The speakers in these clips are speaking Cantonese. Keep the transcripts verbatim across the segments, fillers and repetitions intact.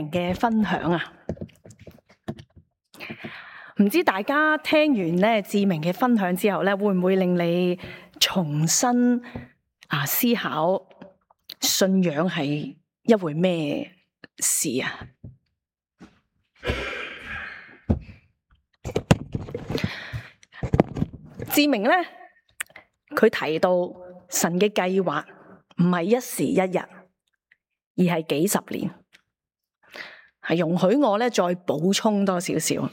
明嘅分享啊！唔知大家聽完咧志明嘅分享之後咧，會唔會令你重新啊思考信仰係一回咩事啊？志明咧，佢提到神嘅計劃唔係一時一日，而係幾十年。係容許我咧再補充多少少。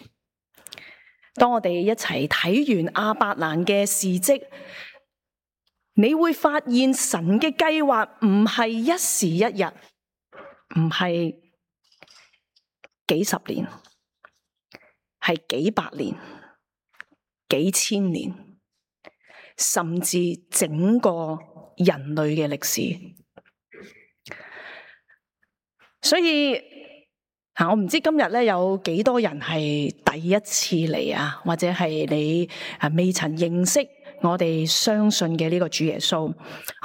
當我哋一齊睇完亞伯蘭嘅事蹟，你會發現神嘅計劃唔係一時一日，唔係幾十年，係幾百年、幾千年，甚至整個人類嘅歷史。所以我唔知今日咧有幾多人係第一次嚟啊，或者係你未曾認識我哋相信嘅呢個主耶穌。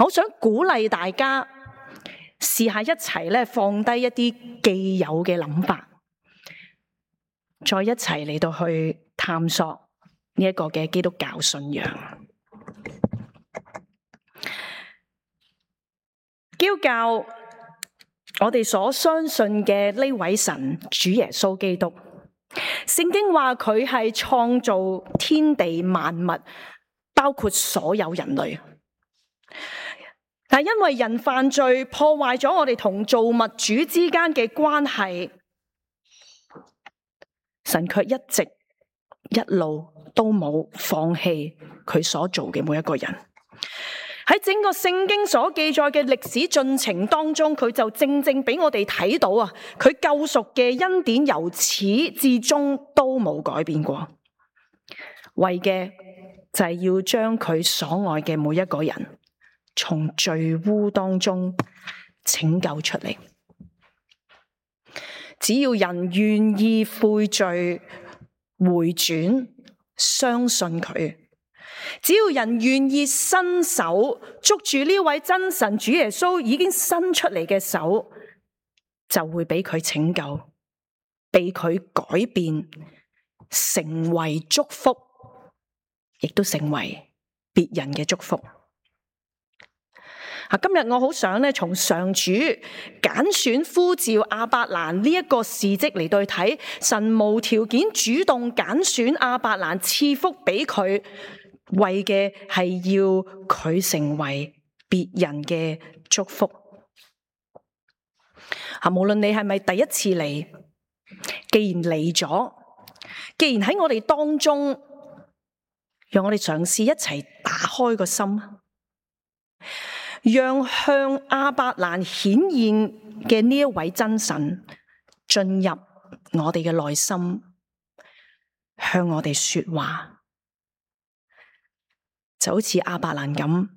我想鼓勵大家試下一齊咧放低一啲既有嘅諗法，再一齊嚟到去探索呢一個嘅基督教信仰。基督教，我哋所相信嘅呢位神主耶穌基督，聖經話佢係創造天地萬物，包括所有人類。但因為人犯罪，破壞咗我哋同造物主之間嘅關係，神卻一直一路都冇放棄佢所做嘅每一個人。喺整個聖經所記載嘅歷史進程當中，佢就正正俾我哋睇到啊，佢救贖嘅恩典由始至終都冇改變過，為嘅就係要將佢所愛嘅每一個人從罪污當中拯救出嚟。只要人願意悔罪、回轉、相信佢，只要人願意伸手捉住呢位真神主耶穌已經伸出嚟嘅手，就會俾佢拯救，被佢改變，成為祝福，亦都成為別人嘅祝福。今日我好想咧，從上主揀選呼召亞伯蘭呢一個事蹟嚟對睇，神無條件主動揀選亞伯蘭賜福俾佢，為嘅係要佢成為別人嘅祝福。啊，無論你係咪第一次嚟，既然嚟咗，既然喺我哋當中，讓我哋嘗試一齊打開個心，讓向亞伯蘭顯現嘅呢一位真神進入我哋嘅內心，向我哋說話。就好似亞伯蘭咁，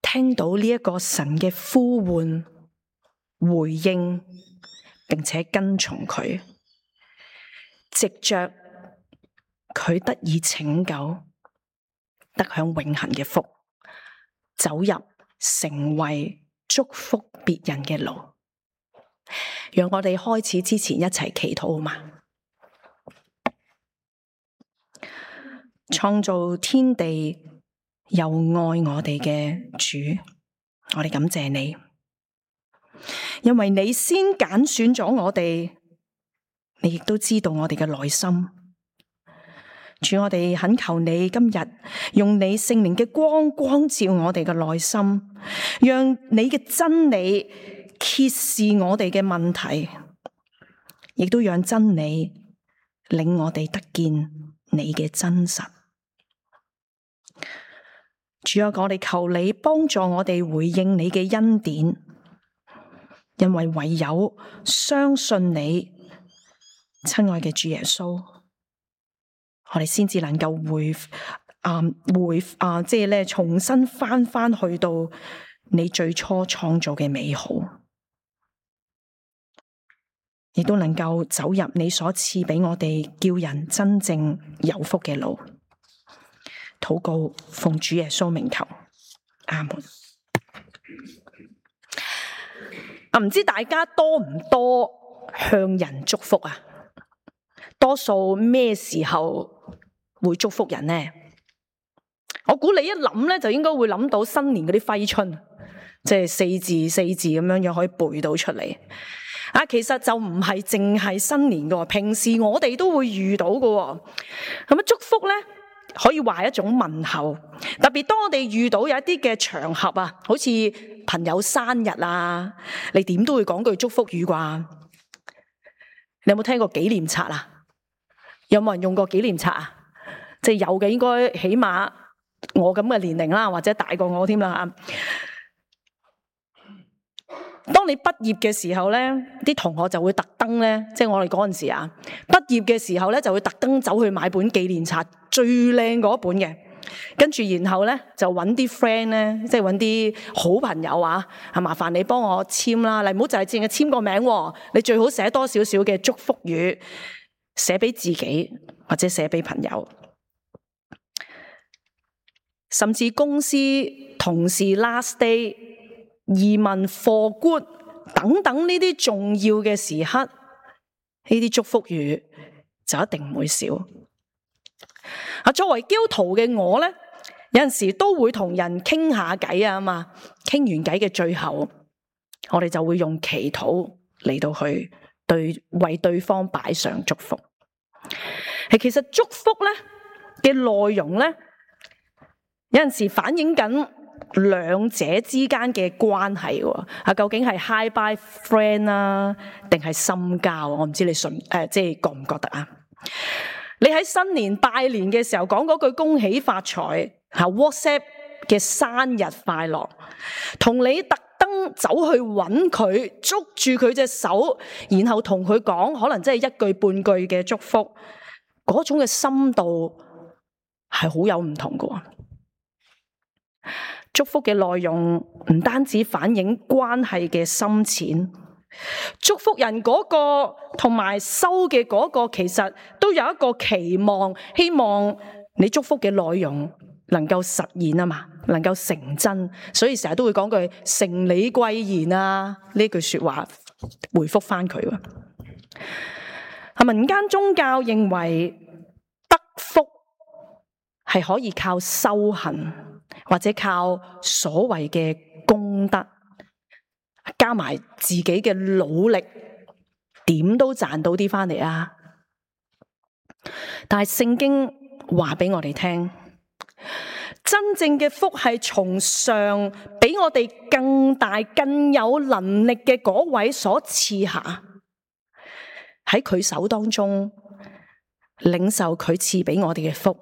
聽到呢一個神嘅呼喚，回應，並且跟從佢，藉着佢得以拯救，得享永恆嘅福，走入成為祝福別人嘅路。讓我哋開始之前一齊祈禱好嗎？創造天地又愛我哋嘅主，我哋感謝你，因為你先揀選咗我哋，你亦都知道我哋嘅內心。主，我哋懇求你今日用你聖靈嘅光光照我哋嘅內心，讓你嘅真理揭示我哋嘅問題，亦都讓真理令我哋得見你嘅真實。主啊，我哋求你幫助我哋回應你嘅恩典，因為唯有相信你，親愛嘅主耶穌，我哋先至能夠回啊回啊，即係咧重新翻翻去到你最初創造嘅美好，亦都能夠走入你所賜俾我哋叫人真正有福嘅路。禱告奉主耶穌名求，阿門。啊，唔知大家多唔多向人祝福啊？多數咩時候會祝福人呢？我估你一諗咧，就應該會諗到新年嗰啲揮春，即係四字四字咁樣樣可以背到出嚟。啊，其實就唔係淨係新年噶，平時我哋都會遇到噶。咁啊，祝福咧可以話係一種問候，特別當我哋遇到有一啲嘅場合啊，好似朋友生日啊，你點都會講句祝福語啩？你有冇聽過紀念冊啊？有冇人用過紀念冊啊？即係有嘅，應該起碼我咁嘅年齡啦，或者大過我添啦。當你畢業嘅時候咧，啲同學就會特登咧，即係我哋嗰陣時啊，畢業嘅時候咧就會特登走去買本紀念冊，最靚嗰本嘅，跟住然後咧就揾啲 friend 咧，即係揾啲好朋友啊，係麻煩你幫我簽啦，你唔好就係淨係簽個名喎，你最好寫多少少嘅祝福語，寫俾自己或者寫俾朋友，甚至公司同事 last day、移民、for good 等等呢啲重要嘅時刻，呢啲祝福語就一定唔會少。啊，作為基督徒嘅我咧，有陣時都會同人傾下偈啊嘛，傾完偈嘅最後，我哋就會用祈禱嚟到去對為對方擺上祝福。係其實祝福咧嘅內容咧，有陣時反映緊兩者之間嘅關係喎。啊，究竟係 hi bye friend 啊，定係深交？我唔知你信誒、呃，即係覺唔覺得啊？你喺新年拜年嘅時候講嗰句恭喜發財，吓 WhatsApp 嘅生日快樂，同你特登走去揾佢，捉住佢隻手，然後同佢講，可能真係一句半句嘅祝福，嗰種嘅深度係好有唔同㗎。祝福嘅內容唔單止反映關係嘅深淺，祝福人嗰個同埋收嘅嗰個，其實都有一個期望，希望你祝福嘅內容能夠實現啊嘛，能夠成真，所以成日都會講句承你貴言啊，呢句說話回覆翻佢。民間宗教認為得福係可以靠修行，或者靠所謂嘅功德，加埋自己嘅努力，點都賺到啲翻嚟啊！但係聖經話俾我哋聽，真正嘅福係從上比我哋更大、更有能力嘅嗰位所賜下，喺佢手當中領受佢賜俾我哋嘅福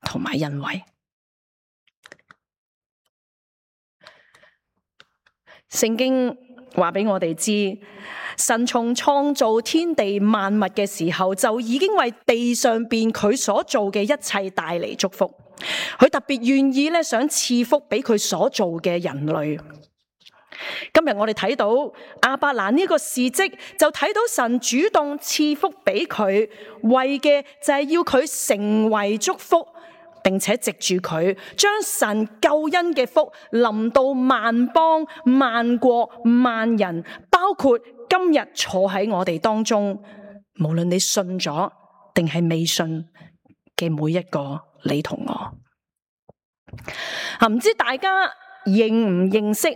同埋恩惠。聖經話俾我哋知，神從創造天地萬物嘅時候，就已經為地上邊佢所做嘅一切帶嚟祝福。佢特別願意咧，想賜福俾佢所做嘅人類。今日我哋睇到亞伯蘭呢個事蹟，就睇到神主動賜福俾佢，為嘅就係要佢成為祝福，並且藉住佢將神救恩嘅福臨到萬邦、萬國、萬人，包括今日坐喺我哋當中，無論你信咗定係未信嘅每一個你同我。啊，唔知大家認唔認識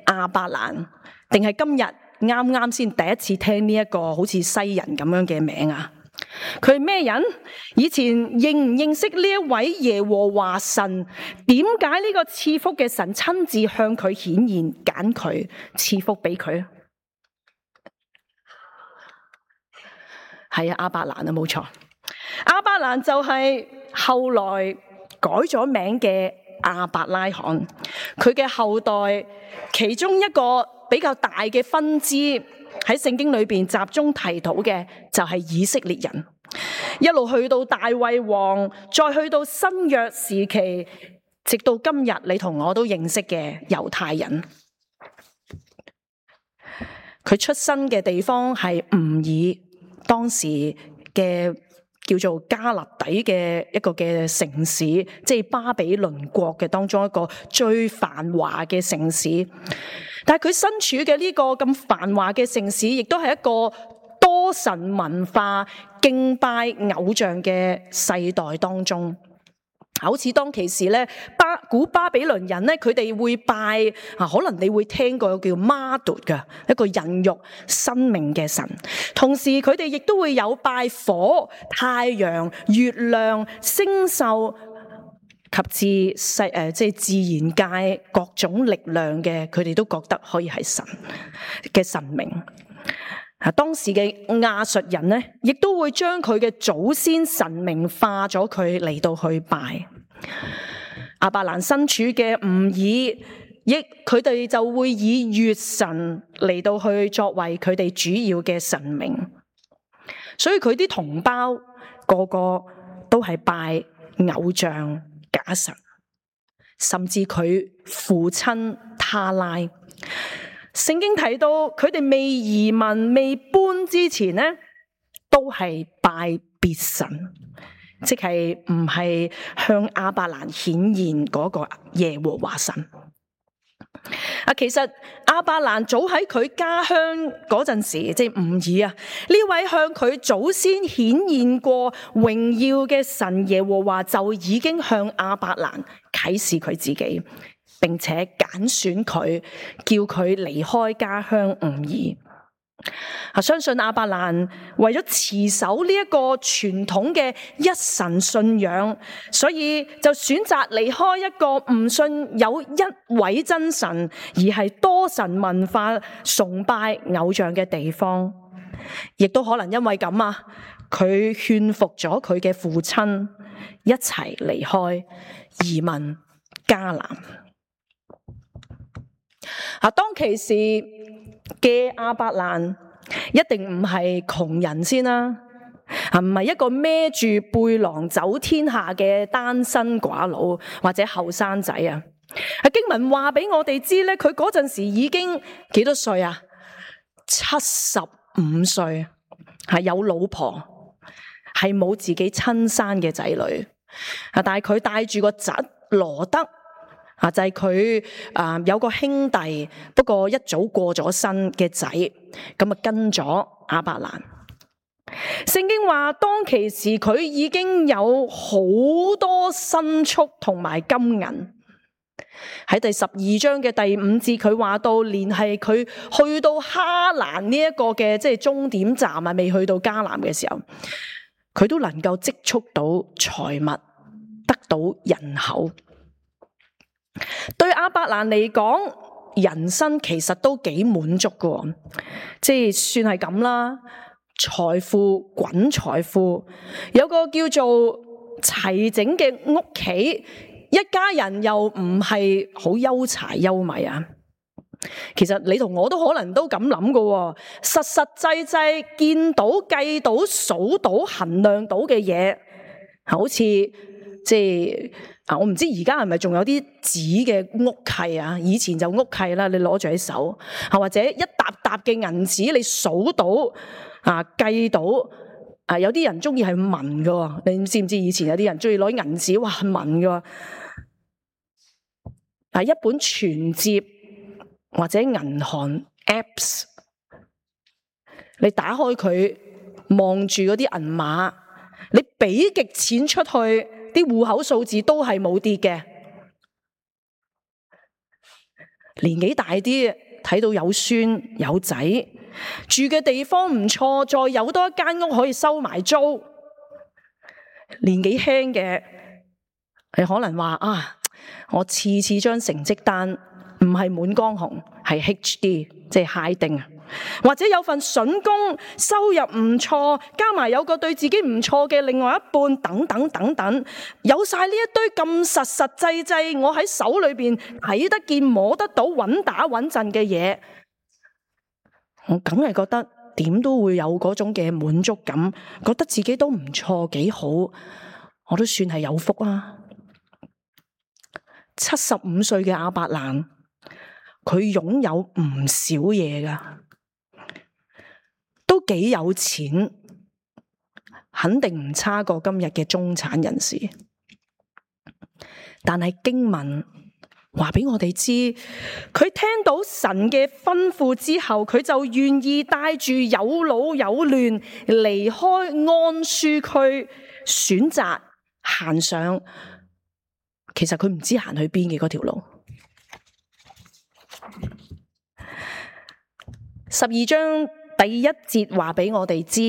亞伯蘭，定係今日啱啱先第一次聽呢一個好似西人咁樣嘅名啊？佢係咩人？以前認唔認識呢一位耶和華神？點解呢個賜福嘅神親自向佢顯現，揀佢賜福俾佢？係啊，亞伯蘭啊，冇錯。亞伯蘭就係後來改咗名嘅亞伯拉罕，佢嘅後代其中一個比較大嘅分支喺聖經裏邊集中提到嘅就係以色列人，一路去到大衛王，再去到新約時期，直到今日你同我都認識嘅猶太人。佢出生嘅地方係吾爾，當時嘅叫做加勒底嘅一個嘅城市，即係巴比倫國嘅當中一個最繁華嘅城市。但係佢身處嘅呢個咁繁華嘅城市，亦都係一個多神文化敬拜偶像嘅世代當中。好似當其時咧，巴古巴比倫人咧，佢哋會拜啊，可能你會聽過叫瑪杜嘅一個孕育生命嘅神。同時佢哋亦都會有拜火、太陽、月亮、星宿及至世誒，即係自然界各種力量嘅，佢哋都覺得可以係神嘅神明。啊，當時嘅亞述人咧，亦都會將佢嘅祖先神明化咗，佢嚟到去拜。亞伯蘭身處嘅吾爾，亦佢哋就會以月神嚟到去作為佢哋主要嘅神明。所以佢啲同胞個個都係拜偶像假神，甚至佢父親他拉。聖經提到佢哋未移民未搬之前呢，都係拜別神，即係唔係向亞伯蘭顯現嗰個耶和華神。啊，其實亞伯蘭早喺佢家鄉嗰陣時，即係吾爾啊，呢位向佢祖先顯現過榮耀嘅神耶和華，就已經向亞伯蘭啟示佢自己，並且揀選佢，叫佢離開家鄉吾爾。啊，相信亞伯蘭為咗持守呢一個傳統嘅一神信仰，所以就選擇離開一個唔信有一位真神，而係多神文化崇拜偶像嘅地方。亦都可能因為咁啊，佢勸服咗佢嘅父親，一齊離開移民迦南。啊，當其時嘅亞伯蘭一定唔係窮人先啦，啊，唔係一個孭住背囊走天下嘅單身寡佬或者後生仔啊。啊，經文話俾我哋知咧，佢嗰陣時已經幾多歲啊？七十五歲，係有老婆，係冇自己親生嘅仔女啊，但係佢帶住個侄羅德。啊，就係佢啊，有個兄弟，不過一早過咗身嘅仔，咁啊跟咗亞伯蘭。聖經話當其時佢已經有好多牲畜同埋金銀。喺第十二章嘅第五節，佢話到連係佢去到哈蘭呢一個嘅即係終點站啊，未去到迦南嘅時候，佢都能夠積蓄到財物，得到人口。對亞伯蘭嚟講，人生其實都幾滿足㗎，即係算係咁啦。財富滾財富，有個叫做齊整嘅屋企，一家人又唔係好憂柴憂米啊。其實你同我都可能都咁諗㗎，實實際際見到、計到、數到、衡量到嘅嘢，好似即係。啊！我唔知而家係咪仲有啲紙嘅屋契啊？以前就屋契啦，你攞住喺手，啊或者一沓沓嘅銀紙，你數到啊計到啊，有啲人中意係紋㗎，你知唔知？以前有啲人中意攞銀紙，哇紋㗎。啊，一本存摺或者銀行 apps， 你打開佢望住嗰啲銀碼，你俾極錢出去。啲戶口數字都係冇跌嘅，年紀大啲睇到有孫有仔，住嘅地方唔錯，再有多一間屋可以收埋租。年紀輕嘅，你可能話啊，我次次張成績單唔係滿江紅，係 H D， 即係 high 丁啊。或者有份筍工，收入唔錯，加埋有個對自己唔錯嘅另外一半，等等等等，有晒呢一堆咁實實際際，我喺手裏邊睇得見、摸得到、穩打穩陣嘅嘢，我梗係覺得點都會有嗰種嘅滿足感，覺得自己都唔錯，幾好，我都算係有福啦。七十五歲嘅亞伯蘭，佢擁有唔少嘢噶。都幾有錢，肯定唔差過今日嘅中產人士。但係經文話俾我哋知，佢聽到神嘅吩咐之後，佢就願意帶住有老有嫩離開安舒區，選擇行上其實佢唔知行去邊嘅嗰條路。十二章第一節話俾我哋知，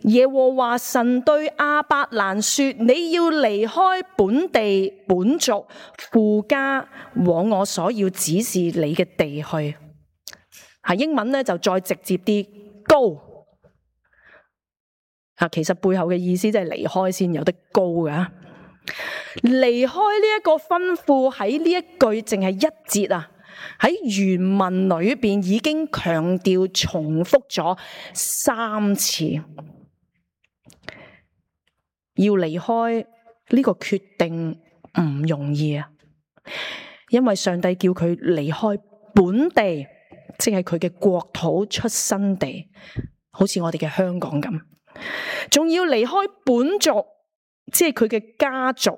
耶和華神對亞伯蘭說：你要離開本地本族父家，往我所要指示你嘅地去。係英文咧就再直接啲，Go。啊，其實背後嘅意思即係離開先有得高噶。離開呢一個吩咐喺呢一句淨係一節啊，喺原文裏邊已經強調重複咗三次，要離開呢個決定唔容易啊，因為上帝叫佢離開本地，即係佢嘅國土出生地，好似我哋嘅香港咁，仲要離開本族，即係佢嘅家族。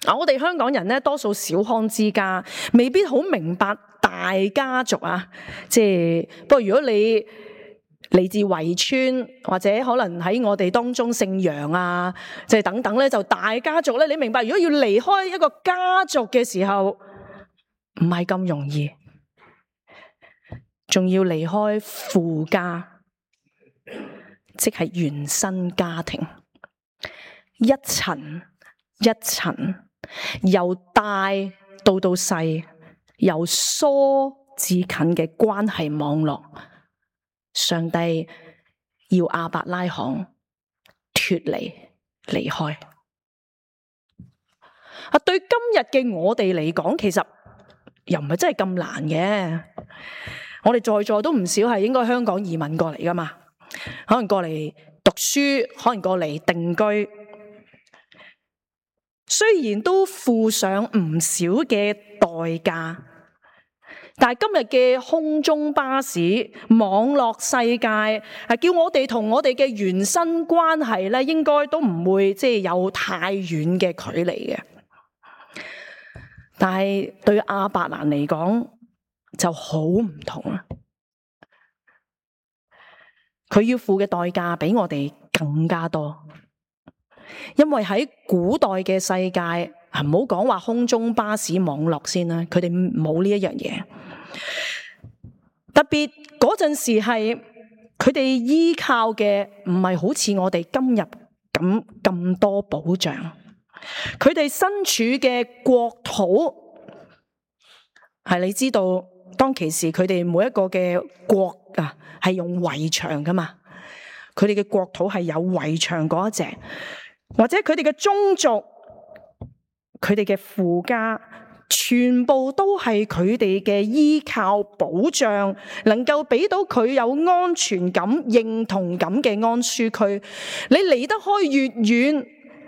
啊！我哋香港人咧，多數小康之家，未必好明白大家族啊。即係不過，如果你嚟自圍村，或者可能喺我哋當中姓楊啊，即係等等咧，就大家族咧，你明白？如果要離開一個家族嘅時候，唔係咁容易，仲要離開父家，即係原生家庭，一層一層。由大到到細，由疏至近嘅關係網絡，上帝要亞伯拉罕脫離離開。啊，對今日嘅我哋嚟講，其實又唔係真係咁難嘅。我哋在座都唔少係應該香港移民過嚟噶嘛，可能過嚟讀書，可能過嚟定居。雖然都付上唔少嘅代價，但係今日嘅空中巴士網絡世界係叫我哋同我哋嘅原生關係咧，應該都唔會即係有太遠嘅距離嘅。但係對亞伯蘭嚟講就好唔同啦，佢要付嘅代價比我哋更加多。因為喺古代嘅世界，唔好講話空中巴士網絡先啦，佢哋冇呢一樣嘢。特別嗰陣時係佢哋依靠嘅唔係好似我哋今日咁咁多保障，佢哋身處嘅國土係你知道，當其時佢哋每一個嘅國啊係用圍牆噶嘛，佢哋嘅國土係有圍牆嗰一隻。或者佢哋嘅宗族，佢哋嘅父家，全部都係佢哋嘅依靠保障，能夠俾到佢有安全感、認同感嘅安舒區。你離得開越遠，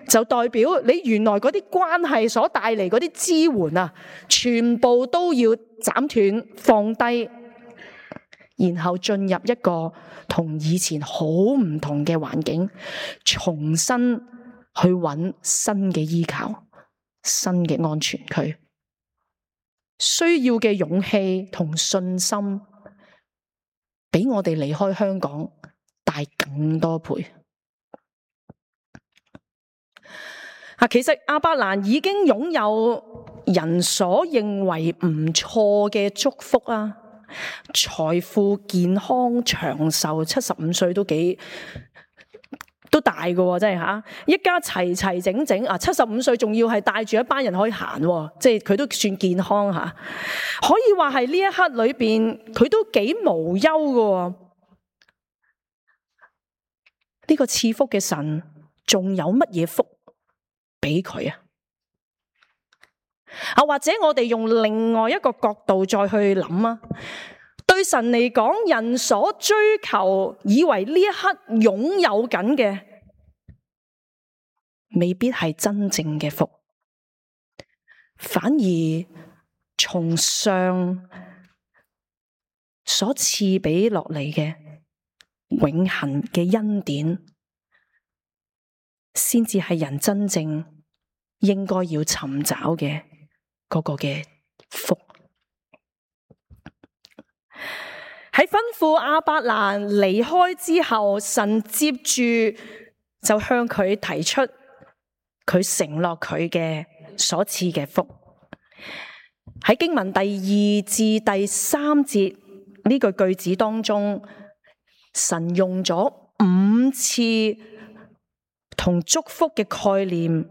就代表你原來嗰啲關係所帶嚟嗰啲支援啊，全部都要斬斷、放低，然後進入一個同以前好唔同嘅環境，重新去揾新嘅依靠、新嘅安全區，需要嘅勇氣同信心，比我哋離開香港大更多倍。啊，其實亞伯蘭已經擁有人所認為唔錯嘅祝福啊，財富、健康、長壽，七十五歲都幾。都大嘅，真係吓，一家齊齊整整啊！七十五歲仲要係帶住一班人可以行，即係佢都算健康吓，可以話係呢一刻裏邊佢都幾無憂嘅。呢個賜福嘅神仲有乜嘢福俾佢啊？啊，或者我哋用另外一個角度再去諗啊。對神嚟講，人所追求，以為呢一刻擁有緊嘅，未必係真正嘅福，反而從上所賜俾落嚟嘅永恆嘅恩典，先至係人真正應該要尋找嘅嗰個嘅福。喺吩咐亞伯蘭離開之後，神接住就向佢提出佢承諾佢嘅所賜嘅福。喺經文第二至第三節呢句句子當中，神用咗五次同祝福嘅概念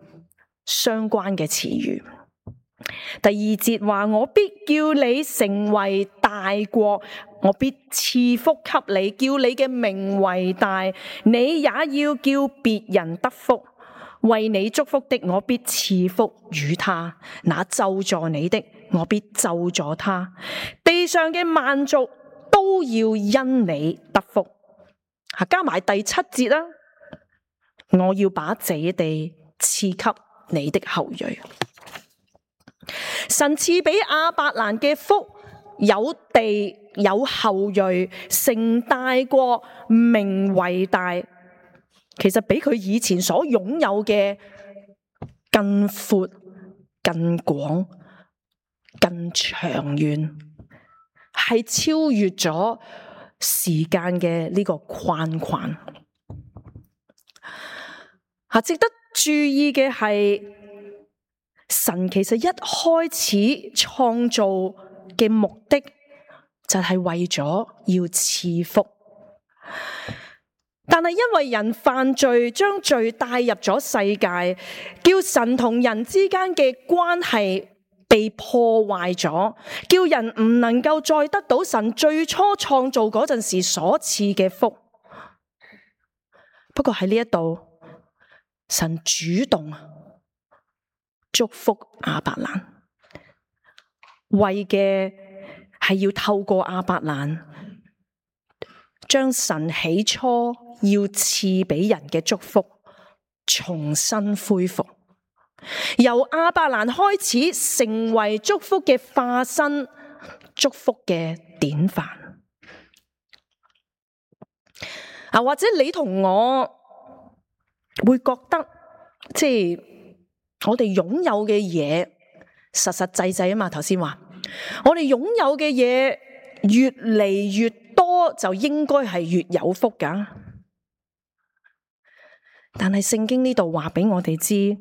相關嘅詞語。第二節話，我必叫你成為大國，我必賜福給你，叫你嘅名為大，你也要叫別人得福。為你祝福的，我必賜福與他；那咒詛你的，我必咒詛他。地上嘅萬族都要因你得福。加埋第七節啦，我要把這地賜給你的後裔。神賜俾亞伯蘭嘅福，有地有後裔，成大國，名為大，其實比佢以前所擁有嘅更闊、更廣、更長遠，係超越咗時間嘅呢個框框。啊，值得注意嘅係，神其實一開始創造嘅目的就係為咗要賜福，但係因為人犯罪，將罪帶入咗世界，叫神同人之間嘅關係被破壞咗，叫人唔能夠再得到神最初創造嗰陣時所賜嘅福。不過喺呢一度，神主動祝福亞伯蘭，為嘅係要透過亞伯蘭，將神起初要賜俾人嘅祝福重新恢復，由亞伯蘭開始成為祝福嘅化身，祝福嘅典範。啊，或者你同我會覺得，即係我哋擁有嘅嘢實實際際啊嘛，頭先話我哋擁有嘅嘢越嚟越多，就應該係越有福噶。但係聖經呢度話俾我哋知，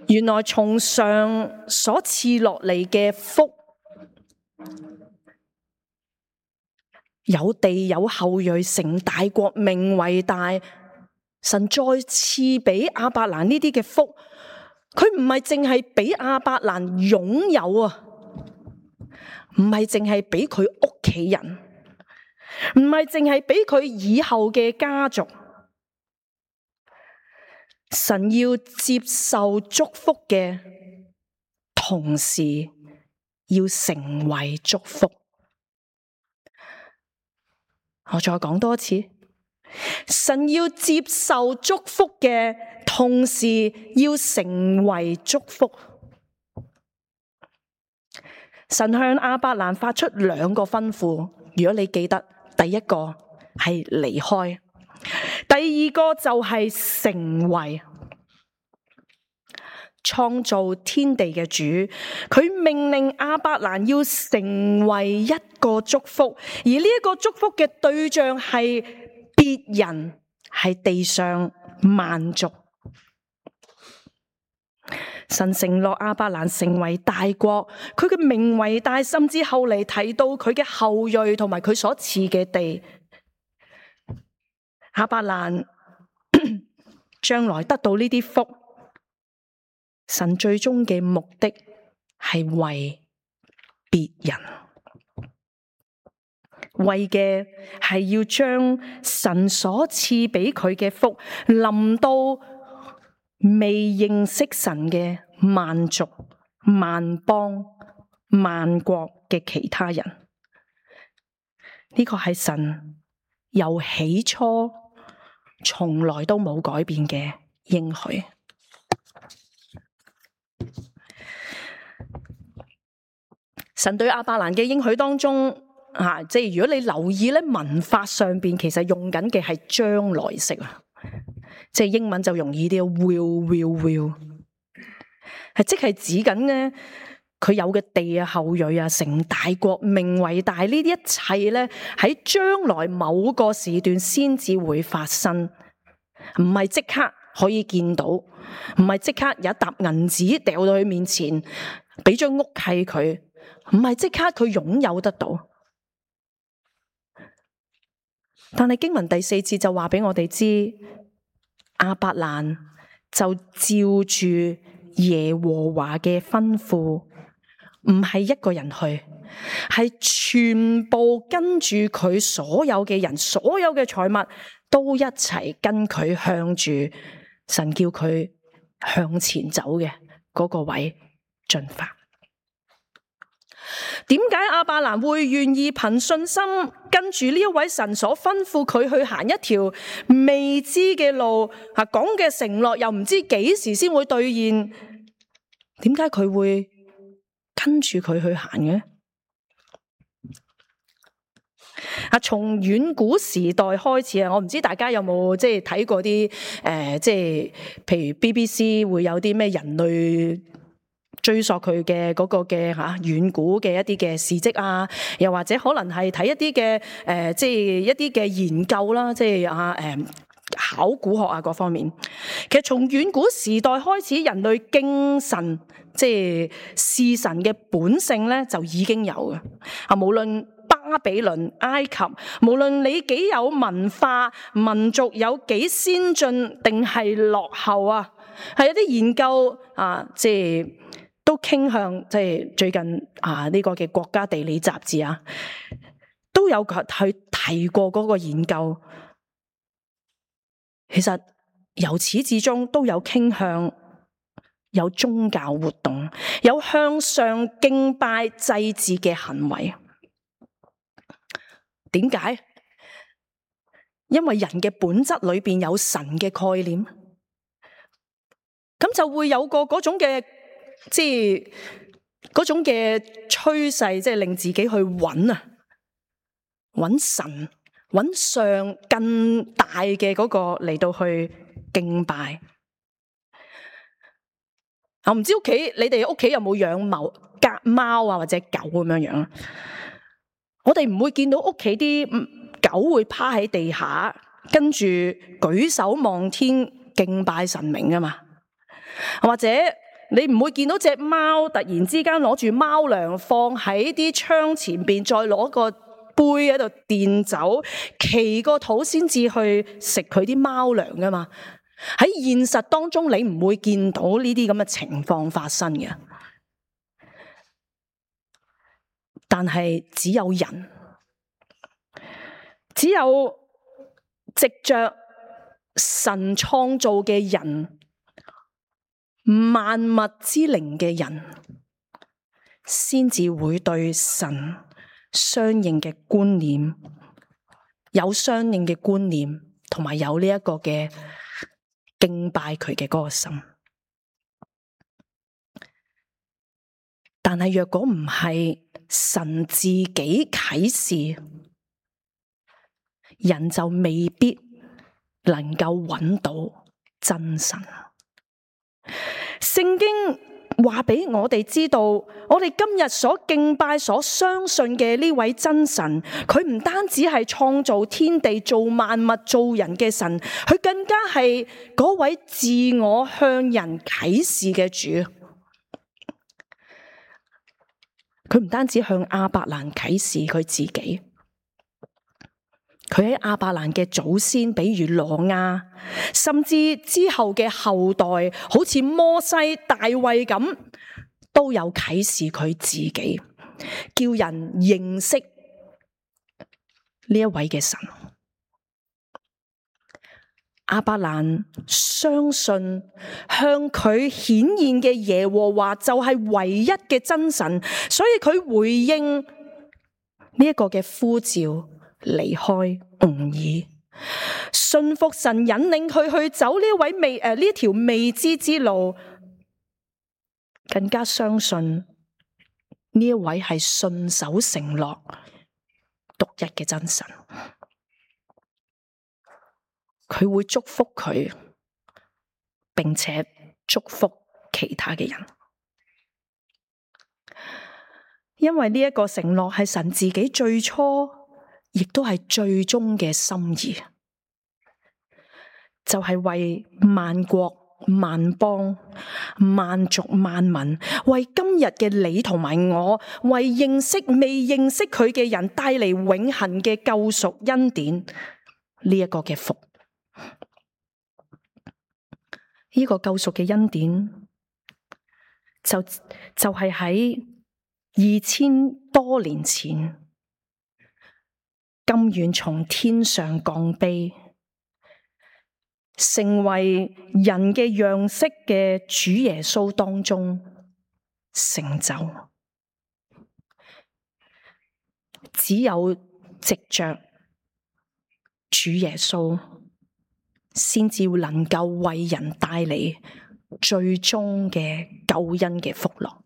原來從上所賜落嚟嘅福，有地有後裔，成大國，名為大。神再賜俾亞伯蘭呢啲嘅福，佢唔係淨係俾亞伯蘭擁有啊，唔係淨係俾佢屋企人，唔係淨係俾佢以後嘅家族。神要接受祝福嘅同時，要成為祝福。我再講多次。神要接受祝福嘅同時，要成為祝福。神向亞伯蘭發出兩個吩咐，如果你記得，第一個係離開，第二個就係成為。創造天地嘅主，佢命令亞伯蘭要成為一個祝福，而呢一個祝福嘅對象係別人，係地上萬族。神承諾亞伯蘭成為大國，佢嘅名為大，甚至後嚟提到佢嘅後裔同埋佢所賜嘅地。亞伯蘭將來得到呢啲福，神最終嘅目的係為別人，為嘅係要將神所賜俾佢嘅福臨到未認識神嘅萬族、萬邦、萬國嘅其他人。呢個係神由起初從來都冇改變嘅應許。神對亞伯蘭嘅應許當中，啊，即係如果你留意咧，文法上邊其實用緊嘅係將來式啊，即係英文就容易啲，will will will。係即係指緊咧佢有嘅地啊、後裔啊、成大國、名為大，呢啲一切咧喺將來某個時段先至會發生，唔係即刻可以見到，唔係即刻有一沓銀紙掉到佢面前，俾張屋契佢，唔係即刻佢擁有得到。但係經文第四節就話俾我哋知，亞伯蘭就照住耶和華嘅吩咐，唔係一個人去，係全部跟住佢所有嘅人，所有嘅財物都一齊跟佢向住神叫佢向前走嘅嗰個位進發。點解亞伯蘭會願意憑信心跟住呢一位神所吩咐佢去行一條未知嘅路？啊，講嘅承諾又唔知幾時先會兌現，點解佢會跟住佢去行嘅？啊，從遠古時代開始啊，我唔知大家有冇即係睇過啲誒，即係譬如 B B C 會有啲咩人類追溯佢嘅嗰個嘅吓遠古嘅一啲嘅事蹟啊，又或者可能係睇一啲嘅誒，即係一啲嘅研究啦，即係啊誒考古學啊各方面。其實從遠古時代開始，人類敬神即係視神嘅本性咧就已經有嘅啊，無論巴比倫、埃及，無論你幾有文化、民族有幾先進定係落後啊，係有啲研究啊，即係都傾向，即係最近啊呢個嘅國家地理雜誌啊，都有去提過嗰個研究。其實由始至終都有傾向，有宗教活動，有向上敬拜祭祀嘅行為。點解？因為人嘅本質裏邊有神嘅概念，咁就會有個嗰種嘅，即係嗰種嘅趨勢，即係令自己去揾啊，揾神，揾上更大嘅嗰個嚟到去敬拜。我唔知屋企你哋屋企有冇養某格貓啊或者狗咁樣樣？我哋唔會見到屋企啲狗會趴喺地下，跟住舉手望天敬拜神明噶嘛？或者你唔會見到隻貓突然之間攞住貓糧放喺啲窗前邊，再攞個杯喺度墊走，祈個禱先至去食佢啲貓糧噶嘛？喺現實當中，你唔會見到呢啲咁嘅情況發生嘅。但係只有人，只有藉着神創造嘅人，萬物之靈嘅人，先至會對神相應嘅觀念，有相應嘅觀念，同埋有呢一個嘅敬拜佢嘅嗰個心。但係若果唔係神自己啟示，人就未必能夠揾到真神。聖經話俾我哋知道，我哋今日所敬拜、所相信嘅呢位真神，佢唔單止係創造天地、造萬物、造人嘅神，佢更加係嗰位自我向人啟示嘅主。佢唔單止向亞伯蘭啟示佢自己，佢喺亞伯蘭嘅祖先，比如挪亞，甚至之後嘅後代，好似摩西、大衛咁，都有啟示佢自己，叫人認識呢一位嘅神。亞伯蘭相信向佢顯現嘅耶和華就係唯一嘅真神，所以佢回應呢一個嘅呼召，離開吾珥，信服神引領佢去走呢位未誒呢條未知之路，更加相信呢一位係信守承諾獨一嘅真神。佢會祝福佢，並且祝福其他嘅人。因為呢一個承諾係神自己最初，亦都係最終嘅心意，就係為萬國萬邦萬族萬民，為今日嘅你同埋我，為認識未認識佢嘅人帶嚟永恆嘅救贖恩典，呢一個嘅福，呢個救贖嘅恩典就就係喺二千多年前，甘願從天上降卑，成為人嘅樣式嘅主耶穌當中成就。只有藉着主耶穌，先至能夠為人帶嚟最終嘅救恩嘅福樂。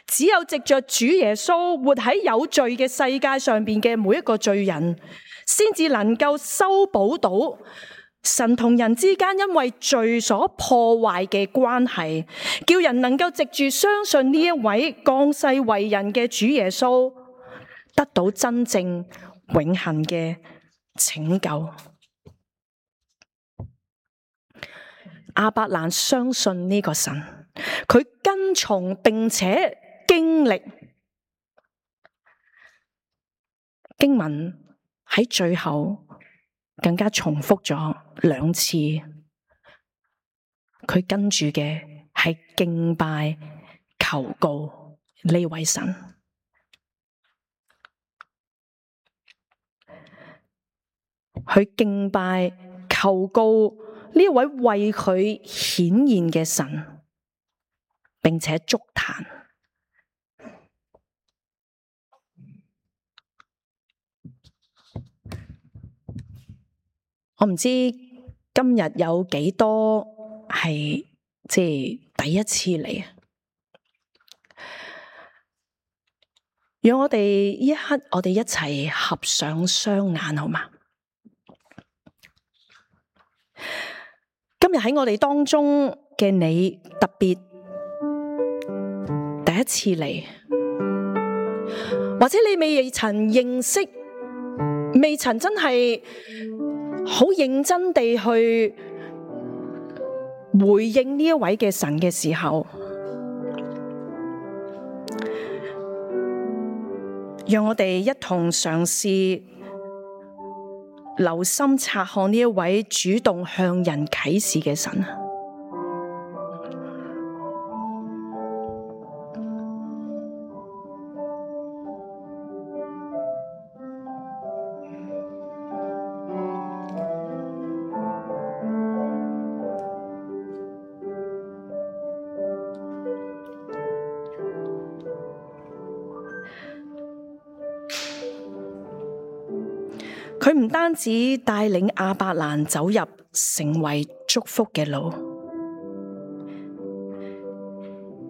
只有藉着主耶穌活喺有罪嘅世界上邊嘅每一個罪人，先至能夠修補到神同人之間因為罪所破壞嘅關係，叫人能夠藉住相信呢一位降世為人嘅主耶穌，得到真正永恆嘅拯救。亞伯蘭相信呢個神，佢跟從並且經歷。經文喺最後更加重複咗兩次，佢跟住嘅係敬拜求告呢位神。佢敬拜求告呢位為佢顯現嘅神，並且築壇。我唔知今日有幾多係即係第一次嚟啊！讓我哋呢一刻，我哋一齊合上雙眼，好嗎？今日喺我哋當中嘅你，特別第一次嚟，或者你未曾認識，未曾真係好認真地去回應呢一位嘅神嘅時候，讓我哋一同嘗試留心察看呢一位主動向人啟示嘅神。佢唔單止帶領亞伯蘭走入成為祝福嘅路，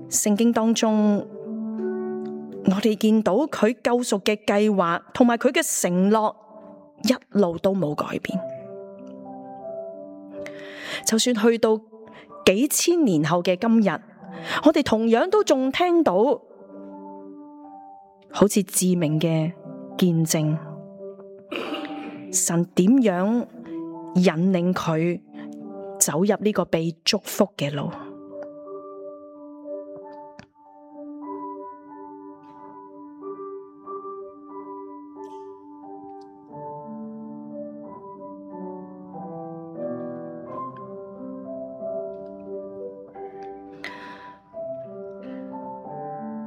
聖經當中我哋見到佢救贖嘅計劃同埋佢嘅承諾一路都冇改變，就算去到幾千年後嘅今日，我哋同樣都仲聽到好似致命嘅見證。神點樣引領佢走入呢個被祝福嘅路？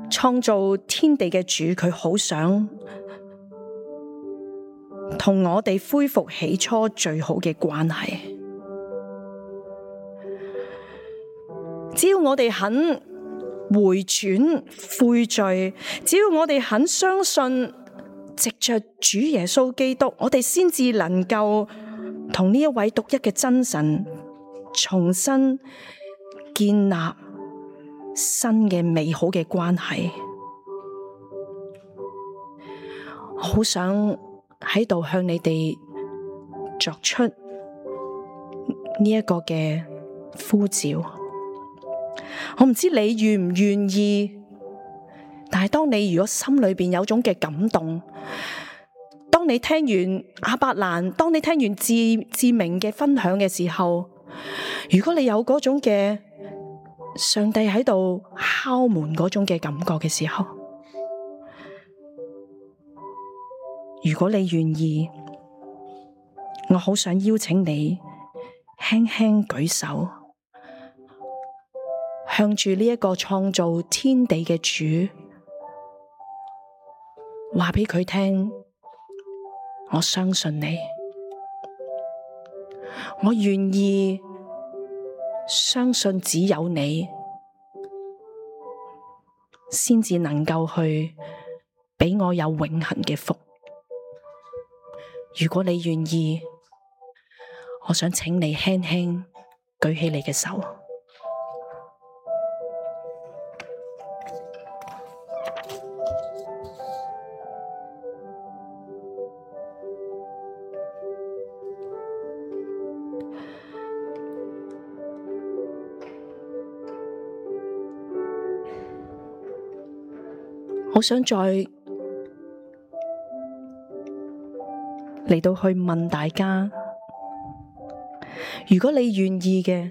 創造天地嘅主，佢好想同我哋恢復起初最好嘅關係，只要我哋肯回轉悔罪，只要我哋肯相信藉着主耶穌基督，我哋先至能夠同呢一位獨一嘅真神重新建立新嘅美好嘅關係。我好想喺度向你哋作出呢一個嘅呼召，我唔知你願唔願意但係當你如果心裏邊有種嘅感動，當你聽完亞伯蘭，當你聽完志志明嘅分享嘅時候，如果你有嗰種嘅上帝喺度敲門嗰種嘅感覺嘅時候，如果你願意，我好想邀請你輕輕舉手，向住呢一個創造天地嘅主，話俾佢聽，我相信你，我願意相信只有你，先至能夠去俾我有永恆嘅福。如果你願意，我想請你輕輕舉起你嘅手。我想再嚟到去問大家，如果你願意嘅，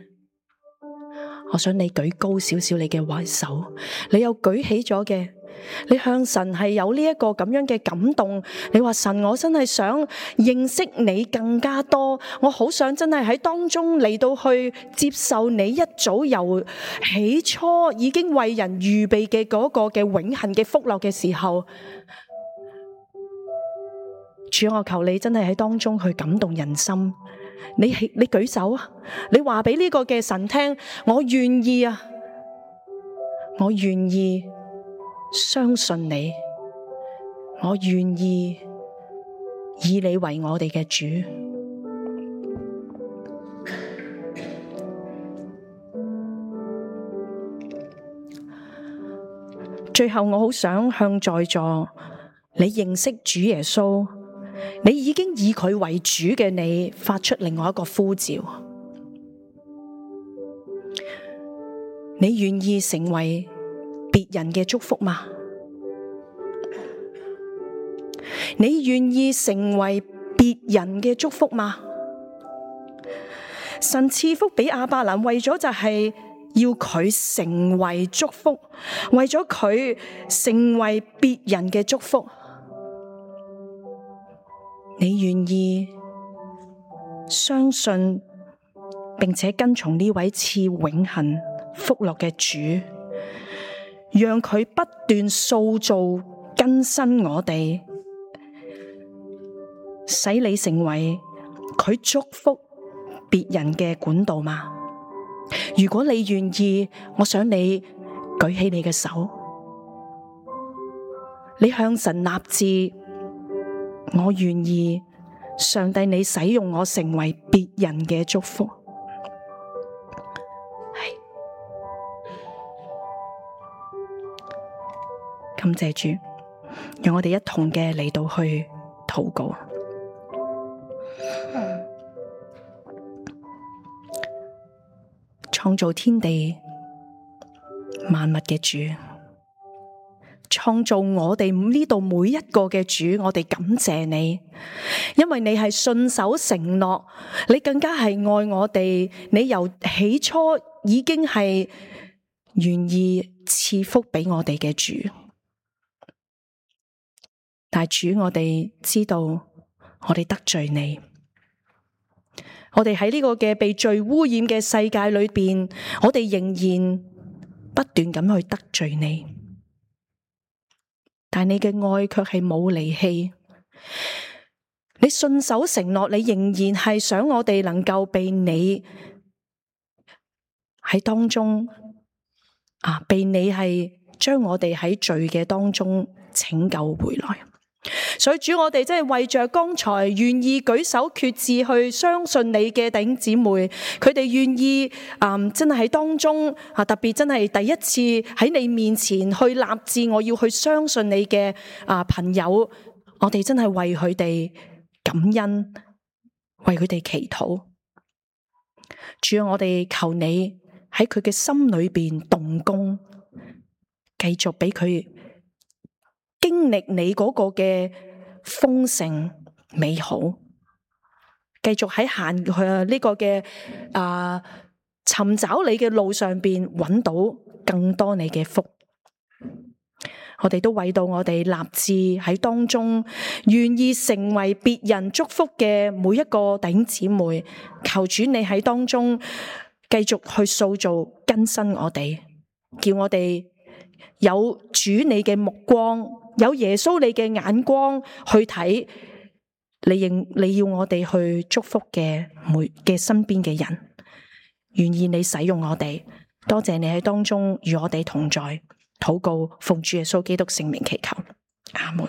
我想你舉高少少你嘅壞手，你有舉起咗嘅，你向神係有呢一個咁樣嘅感動，你話神，我真係想認識你更加多，我好想真係喺當中嚟到去接受你一早由起初已經為人預備嘅嗰個嘅永恆嘅福樂嘅時候，主，我求你真係喺當中去感動人心。你你舉手啊！你話俾呢個嘅神聽，我願意啊！我願意相信你，我願意以你為我哋嘅主。最後，我好想向在座你認識主耶穌，你已經以佢為主嘅你，發出另外一個呼召。你願意成為別人嘅祝福嗎？你願意成為別人嘅祝福嗎？神賜福俾亞伯蘭，為咗就係要佢成為祝福，為咗佢成為別人嘅祝福。你願意相信並且跟從呢位賜永恆福樂嘅主，讓佢不斷塑造更新我哋，使你成為佢祝福別人嘅管道嗎？如果你願意，我想你舉起你嘅手，你向神立志，我願意，上帝你使用我成為別人嘅祝福。係，感謝主，讓我哋一同嘅嚟到去禱告。創造天地萬物嘅主，創造我哋呢度每一個嘅主，我哋感謝你，因為你係信守承諾，你更加係愛我哋，你由起初已經係願意賜福俾我哋嘅主。但係主，我哋知道我哋得罪你，我哋喺呢個嘅被罪污染嘅世界裏邊，我哋仍然不斷咁去得罪你。但你嘅愛卻係冇離棄，你信守承諾，你仍然係想我哋能夠被你喺當中啊，被你係將我哋喺罪嘅當中拯救回來。所以主，我哋真係為着剛才願意舉手決志去相信你嘅弟兄姊妹，佢哋願意啊、嗯，真係喺當中啊，特別真係第一次喺你面前去立志，我要去相信你嘅啊朋友，我哋真係為佢哋感恩，為佢哋祈禱。主啊，我哋求你喺佢嘅心裏邊動工，繼續俾佢經歷你嗰個嘅豐盛美好，繼續喺行佢呢個嘅啊尋找你嘅路上邊揾到更多你嘅福。我哋都為到我哋立志喺當中願意成為別人祝福嘅每一個弟兄姊妹，求主你喺當中繼續去塑造更新我哋，叫我哋有主你嘅目光，有耶穌你嘅眼光去睇你認你要我哋去祝福嘅每嘅身邊嘅人，願意你使用我哋。多謝你喺當中與我哋同在。禱告奉主耶穌基督聖名祈求，阿門。